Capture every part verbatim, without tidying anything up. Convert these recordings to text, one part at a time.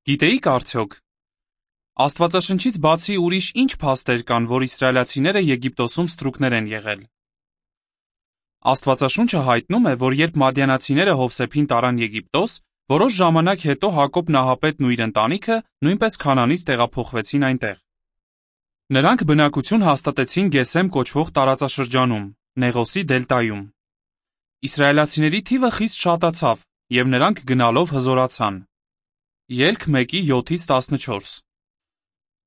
Գիտեիք արդյոք, Աստվածաշնչից բացի ուրիշ ինչ փաստեր կան, որ իսրայելացիները Եգիպտոսում ստրուկներ են եղել։ Աստվածաշունչը հայտնում է, որ երբ մադյանացիները Հովսեփին տարան Եգիպտոս, որոշ ժամանակ հետո Հակոբ նահապետն ու իր ընտանիքը նույնպես Քանանից տեղափոխվեցին այնտեղ։ Նրանք բնակություն հաստատեցին Գեսեմ կոչվող տարածաշրջանում, Նեղոսի դելտայում։ Իսրայելացիների թիվը խիստ շատացավ, և նրանք գնալով հզորացան։ Ելք մեկի յոթից տասնչորս։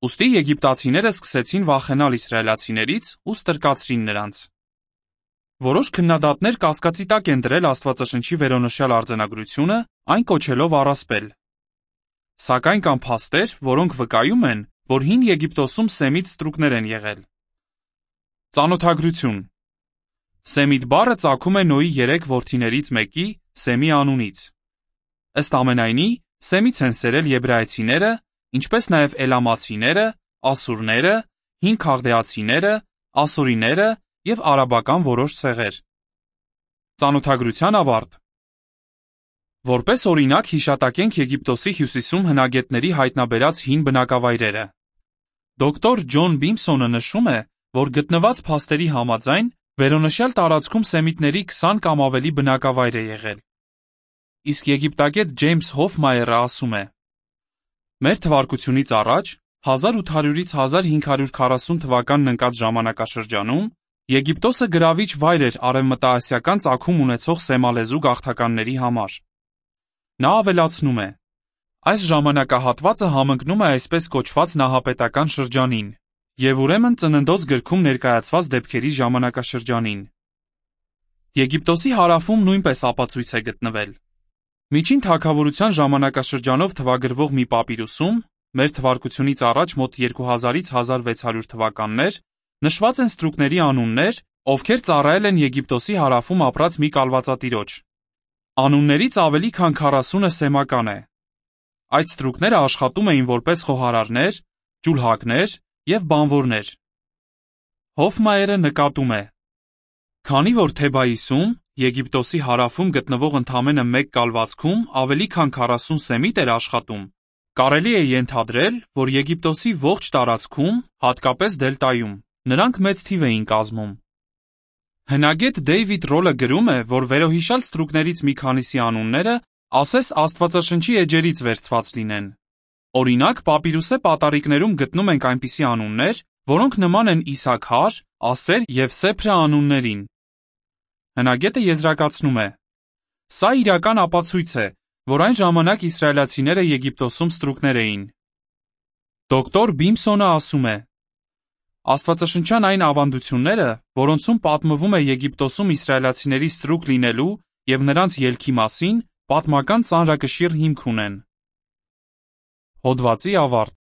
Ուստի եգիպտացիները սկսեցին վախենալ իսրայելացիներից ու ստրկացրին նրանց։ Որոշ քննադատներ կասկածի տակ են դրել Աստվածաշնչի վերոնշյալ արձանագրությունը, այն կոչելով առասպել։ Սակայն կան փաստեր, որոնք վկայում են, որ հին Եգիպտոսում Սեմիտ ստրուկներ են եղել։ Ծանոթագրություն։ Սեմիտ բառը ծագում է Նոյի երեք որդիներից մեկի՝ Սեմի անունից։ Ըստ ամենայնի, Սեմից են սերել եբրայեցիները, ինչպես նաև էլամացիները, ասուրները, հին քաղդեացիները, ասորիները և արաբական որոշ ցեղեր։ Ծանոթագրության ավարտ։ Որպես օրինակ հիշատակենք Եգիպտոսի հյուսիսում հնագետների հայտնաբերած հին բնակավայրերը։ Դոկտոր Ջոն Բիմսոնը նշում է, որ գտնված փաստերի համաձայն վերոնշյալ տարածքում սեմիտների քսան կամ ավելի բնակավայր է եղել։ Իսկ եգիպտագետ Ջեյմս Հոֆմայերը ասում է. Մեր թվարկությունից առաջ հազար ութ հարյուրից հազար հինգ հարյուր քառասուն թվականն ընկած ժամանակաշրջանում Եգիպտոսը գրավիչ վայր էր արևմտաասիական ծագում ունեցող սեմալեզու գաղթականների համար։ Նա ավելացնում է. այս ժամանակահատվածը համընկնում է այսպես կոչված նահապետական շրջանին և ուրեմն Ծննդոց գրքում ներկայացված դեպքերի ժամանակաշրջանին։ Եգիպտոսի հարավում նույնպես ապացույց է գտնվել։ Միջին թագավորության ժամանակաշրջանով թվագրվող մի պապիրուսում, մեր թվարկությունից առաջ մոտ երկու հազարից հազար վեց հարյուր թվականներ, նշված են ստրուկների անուններ, ովքեր ծառայել են Եգիպտոսի հարավում ապրած մի կալվածատիրոջ։ Անուններից ավելի քան քառասունը սեմական է։ Այդ ստրուկները աշխատում էին որպես խոհարարներ, ջուլհակներ և բանվորներ։ Հոֆմայերը նկատում է. Քանի որ Թեբայիսում, Եգիպտոսի հարավում գտնվող ընդամենը մեկ կալվածքում ավելի քան քառասուն սեմիտ էր աշխատում, կարելի է ենթադրել, որ Եգիպտոսի ողջ տարածքում, հատկապես դելտայում, նրանք մեծ թիվ էին կազմում։ Հնագետ Դեյվիդ Ռոլը գրում է, որ վերոհիշյալ ստրուկներից մի քանիսի անունները ասես Աստվածաշնչի էջերից վերցված լինեն։ Օրինակ, պապիրուսե պատառիկներում գտնում ենք այնպիսի անուններ, որոնք նման են Իսաքար, Ասեր և Սեփրը անուններին։ Հնագետը եզրակացնում է. Սա իրական ապացույց է, որ այն ժամանակ իսրայելացիները Եգիպտոսում ստրուկներ էին։ Դոկտոր Բիմսոնը ասում է. Աստվածաշնչյան այն ավանդությունները, որոնցում պատմվում է Եգիպտոսում իսրայելացիների ստրուկ լինելու և նրանց ելքի մասին, պատմական ծանրակշիռ հիմք ունեն։ Հոդվացի ավարտ։